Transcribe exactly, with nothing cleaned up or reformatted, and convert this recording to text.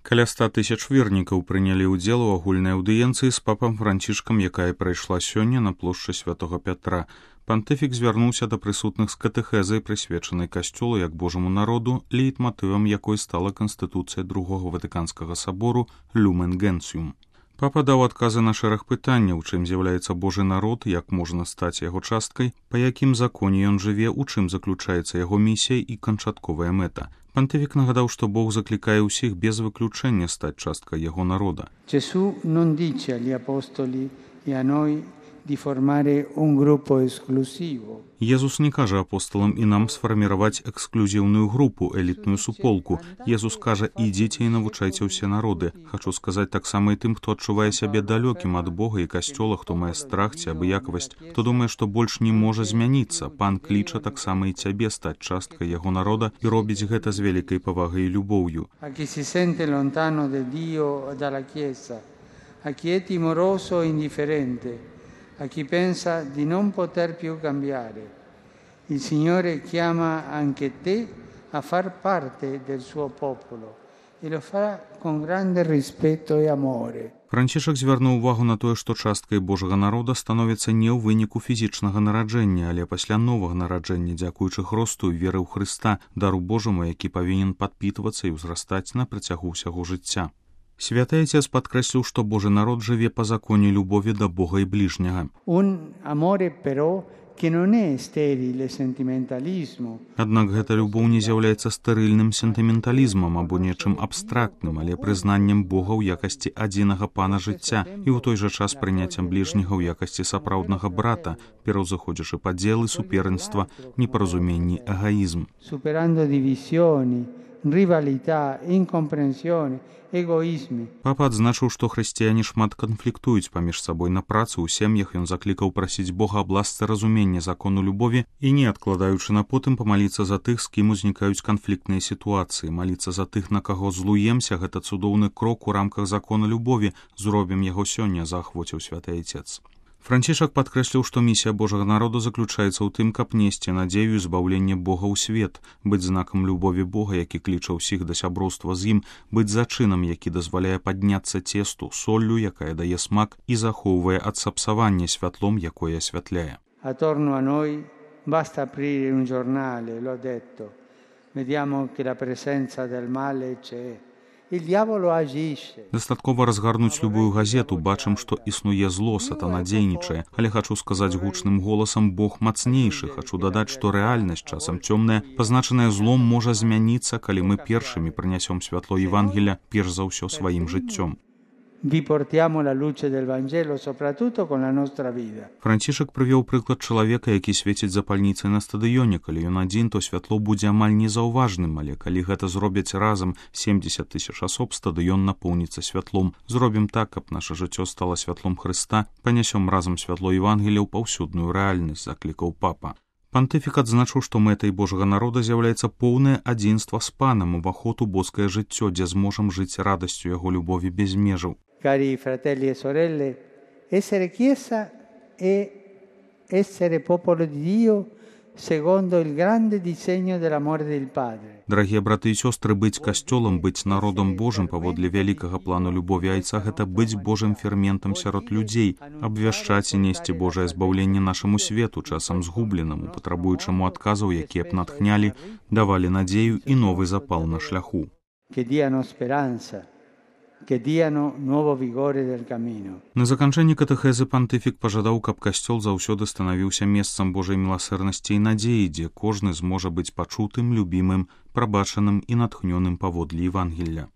Каля ста тысяч вернікаў прынялі ўдзел у агульнай аўдыенцыі з папам Францішкам, якая прайшла сёння на плошчы Святога Пятра. Пантыфік звярнуўся да прысутных з катэхезай, прысвечанай касцёлу як Божаму народу, лейтматывам якой стала Канстытуцыя Другога Ватыканскага сабору «Люмен Генціум». Папа даў адказы на шэраг пытанняў, чым з'яўляецца Божы народ, як можна стаць яго часткай, па якім законе ён жыве, у чым заключаецца яго місія і канчатковая мэта. Пантыфік нагадаў, што Бог заклікае ўсіх без выключэння стаць часткай яго народа. Gesù non dice agli apostoli e a noi di formare un gruppo esclusivo. Езус не кажа апостолам і нам сфарміраваць эксклюзіўную групу, элітную суполку. Езус кажа, ідзіце і навучайце ўсе народы. Хачу сказаць таксама і тым, хто адчувае сябе далёкім ад Бога і касцёла, хто мае страх ці абыякавасць, хто думае, што больш не можа змяніцца. Пан кліча таксама і цябе стаць часткай яго народа і робіць гэта з вялікай павагай і любоўю. A chi si sente lontano da Dio e dalla Chiesa, a chi è timoroso e indifferente, a chi pensa di non poter più cambiare. Il Signore chiama anche te a far parte del suo popolo e lo fa con grande rispetto e amore. Францішак звярнуў увагу на тое, што часткай Божага народа становіцца не ў выніку фізічнага нараджэння, але пасля новага нараджэння, дзякуючы хросту і веры ў Хрыста, дару Божаму, які павінен падпітвацца і ўзрастаць на працягу ўсяго жыцця. Святы Отец падкрэсліў, што Божы народ жыве па законе любові да Бога і бліжняга. Un amore però che non è sterile sentimentalismo. Аднак гэта любоў не з'яўляецца стэрыльным сентыменталізмам або нечым абстрактным, але прызнаннем Бога ў якасці адзінага пана жыцця і ў той жа час прыняццем бліжняга ў якасці сапраўднага брата, пераўзыходзячы падзелы, суперніцтва, непаразуменні, эгоізм. Superando divisioni, rivalità, incomprensione, egoismi. Папа адзначыў, што хрысціяне шмат канфліктуюць паміж сабой на працы, у сем'ях. Ён заклікаў прасіць Бога аб ласцы разумення закону любові і, не адкладаючы на потым, памаліцца за тых, з кім узнікаюць канфліктныя сітуацыі. Маліцца за тых, на каго злуемся, гэта цудоўны крок у рамках закона любові. Зробім яго сёння, заахвоціў Святы Отец. Францішак падкрэсліў, што місія Божага народу заключаецца ў тым, каб несці надзею і збаўленне Бога ў свет, быць знакам любові Бога, які кліча ўсіх да сяброўства з ім, быць зачынам, які дазваляе падняцца цесту, соллю, якая дае смак і захоўвае ад сапсавання, святлом, якое асвятляе. Attorno a noi basta aprire un giornale, l'ho detto. Vediamo che la presenza del male c'è. Дастаткова разгарнуць любую газету, бачым, што існуе зло, сатана дзейнічае. Але хачу сказаць гучным голасам, Бог мацнейшы. Хачу дадаць, што рэальнасць, часам цёмная, пазначаная злом, можа змяніцца, калі мы першымі прынясём святло Евангелія, перш за ўсё сваім жыццём. Vi portiamo la luce del Vangelo soprattutto con la nostra vita. Францішак прывёў прыклад чалавека, які свеціць запальніцай на стадыёне. Калі ён адзін, то святло будзе амаль незаўважным, але калі гэта зробяць разам семдзесят тысяч асоб, стадыён напоўніцца святлом. Зробім так, каб наша жыццё стала святлом Хрыста, панясём разам святло Евангелія ў паўсюдную рэальнасць, заклікаў папа. Пантыфік адзначыў, што мэтай Божага народа з'яўляецца поўнае адзінства з панам, уваход у боскае жыццё, дзе зможам жыць радасцю яго любові без межаў. Cari fratelli e sorelle, essere Chiesa è essere popolo di Dio secondo il grande disegno dell'amore del Padre. Дарагія браты і сёстры, быць касцёлам, быць народам Божым паводле вялікага плану любові Айца, гэта быць Божым ферментам сярод людзей, абвяшчаць і несці Божае збаўленне нашаму свету, часам згубленаму, патрабуючаму адказаў, якія б натхнялі, давалі надзею і новы запал на шляху. Che diano speranza. Que diano nuovo vigore del cammino. На заканчэнні катэхезы пантыфік пажадаў, каб касцёл заўсёды станавіўся месцам Божай міласэрнасці і надзеі, дзе кожны зможа быць пачутым, любімым, прабачаным і натхнёным паводле Евангелля.